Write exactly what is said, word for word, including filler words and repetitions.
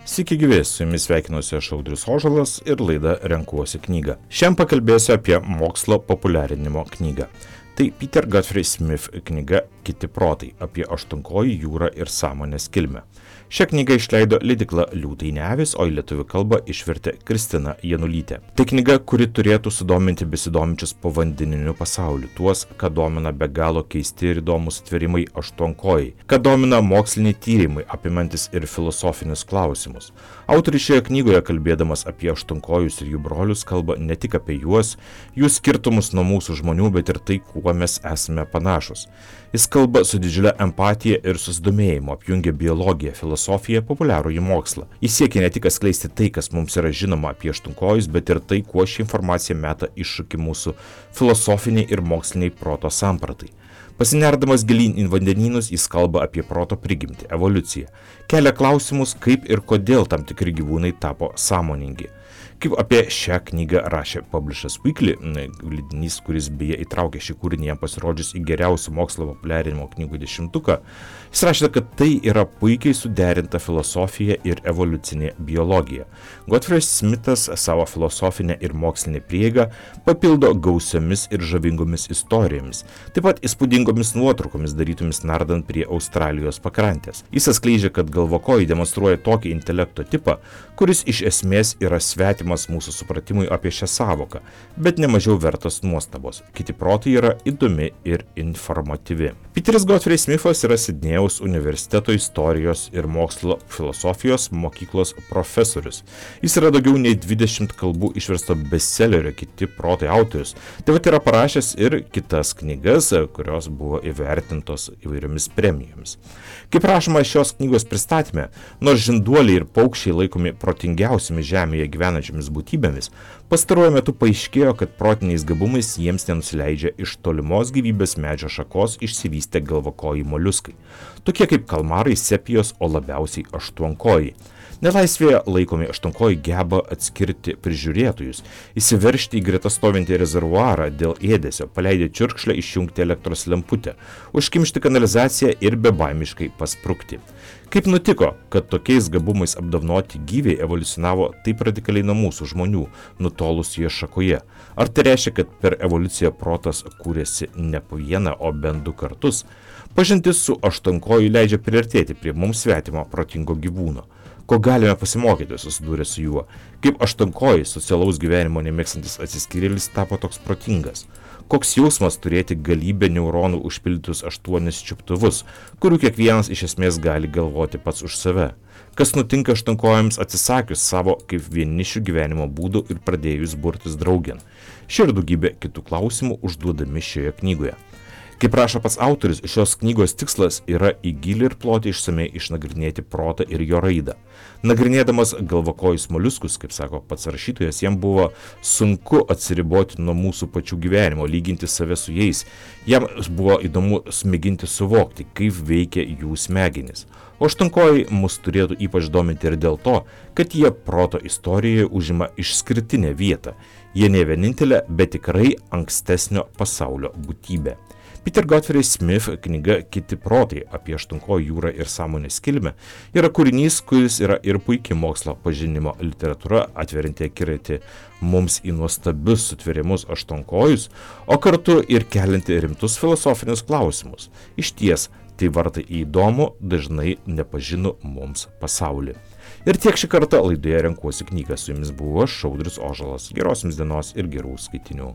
Sveiki gyvi, su jumis sveikinuosi aš Audrius Ožalas ir laida Renkuosi knygą. Šiandien pakalbėsiu apie mokslo populiarinimo knygą. Tai Peter Godfrey Smith knyga Kiti protai apie aštuonkojį jūrą ir sąmonės kilmę. Šią knygą išleido leidykla Liūtai ne avys, o į lietuvių kalbą išvertė Kristina Janulytė. Tai knyga, kuri turėtų sudominti besidominčius povandeniniu pasauliu, tuos, ką domina be galo keisti ir įdomus atvėrimai aštuonkojai, ką domina moksliniai tyrimai, apimantis ir filosofinius klausimus. Autorius šioje knygoje, kalbėdamas apie aštuonkojus ir jų brolius, kalba ne tik apie juos, jų skirtumus nuo mūsų žmonių, bet ir tai, kuo mes esame panašus. Jis kalba su didžiulė empatija ir susidomėjimu, apjungia biologiją, filosofiją, populiarųjį mokslą. Jis siekia ne tik atskleisti tai, kas mums yra žinoma apie aštuonkojus, bet ir tai, kuo ši informacija meta iššūkį mūsų filosofiniai ir moksliniai proto sampratai. Pasinerdamas gilyn į vandenynus, jis kalba apie proto prigimtį, evoliuciją. Kelia klausimus, kaip ir kodėl tam tikri gyvūnai tapo sąmoningi. Kaip apie šią knygą rašė Publishers Weekly, leidinys, kuris beje įtraukė šį kūrinį jam pasirodžius į geriausių mokslo populiarinimo knygų dešimtuką, jis rašė, kad tai yra puikiai suderinta filosofija ir evoliucinė biologija. Godfrey Smithas savo filosofinę ir mokslinę prieigą papildo gausiomis ir žavingomis istorijomis, taip pat įspūdingomis nuotraukomis darytomis nardant prie Australijos pakrantės. Jis atskleidžia, kad galvokojai demonstruoja tokį intelekto tipą, kuris iš esmės yra svetimas mūsų supratimui apie šią savoką, bet nemažiau vertas nuostabos. Kiti protai yra įdomi ir informatyvi. Peteris Godfrey Smithas yra Sidnėjaus universiteto istorijos ir mokslo filosofijos mokyklos profesorius. Jis yra daugiau nei dvidešimt kalbų išversto bestsellerio Kiti protai autorius. Taip pat yra parašęs ir kitas knygas, kurios buvo įvertintos įvairiomis premijomis. Kaip rašoma šios knygos pristatyme, nors žinduoliai ir paukščiai laikomi protingiausiamis žemėje gyvenančiamis būtybėmis, pastaruoju metu paaiškėjo, kad protiniais gabumais jiems nenusileidžia iš tolimos gyvybės medžio šakos išsivystę galvakojai moliuskai, tokie kaip kalmarai, sepijos, o labiausiai aštuonkojai. Nelaisvėje laikomi aštuonkojai geba atskirti prižiūrėtojus, įsiveržti į greta stovintį rezervuarą dėl ėdesio, paleidę čiurkšlę išjungti elektros lemputę, užkimšti kanalizaciją ir bebaimiškai pasprukti. Kaip nutiko, kad tokiais gabumais apdovanoti gyviai evoliucionavo taip radikaliai nuo mūsų žmonių, nutolusioje šakoje? Ar tai reiškia, kad per evoliuciją protas kūrėsi ne po vieną, o bent du kartus? Pažintis su aštuonkoju leidžia priartėti prie mums svetimo protingo gyvūno. Ko galime pasimokyti susidūrę su juo? Kaip aštuonkojai socialaus gyvenimo nemėgstantis atsiskyrėlis tapo toks protingas? Koks jausmas turėti galybę neuronų užpildytus aštuonis čiuptuvus, kurių kiekvienas iš esmės gali galvoti pats už save? Kas nutinka aštuonkojams atsisakius savo kaip vienišių gyvenimo būdų ir pradėjus burtis draugėn? Šie ir daugybė kitų klausimų užduodami šioje knygoje. Kaip rašo pats autorius, šios knygos tikslas yra į gilį ir plotį išsamei išnagrinėti protą ir jo raidą. Nagrinėdamas galvakojus moliuskus, kaip sako pats rašytojas, jam buvo sunku atsiriboti nuo mūsų pačių gyvenimo, lyginti save su jais. Jam buvo įdomu smėginti suvokti, kaip veikia jų smegenys. O aštuonkojai mus turėtų ypač dominti ir dėl to, kad jie proto istorijoje užima išskirtinę vietą. Jie ne vienintelė, bet tikrai ankstesnio pasaulio būtybė. Peter Godfrey Smith knyga Kiti protai apie aštuonkojų jūrą ir sąmonės kilmę yra kūrinys, kuris yra ir puikiai mokslo pažinimo literatūra, atverianti akiratį mums į nuostabius sutvėrimus aštuonkojus, o kartu ir kelianti rimtus filosofinius klausimus. Išties, tai vartai į įdomų, dažnai nepažinų mums pasaulį. Ir tiek šį kartą laidoje Renkuosi knygą. Su jumis buvo aš, Audrius Ožalas. Geros jums dienos ir gerų skaitinių.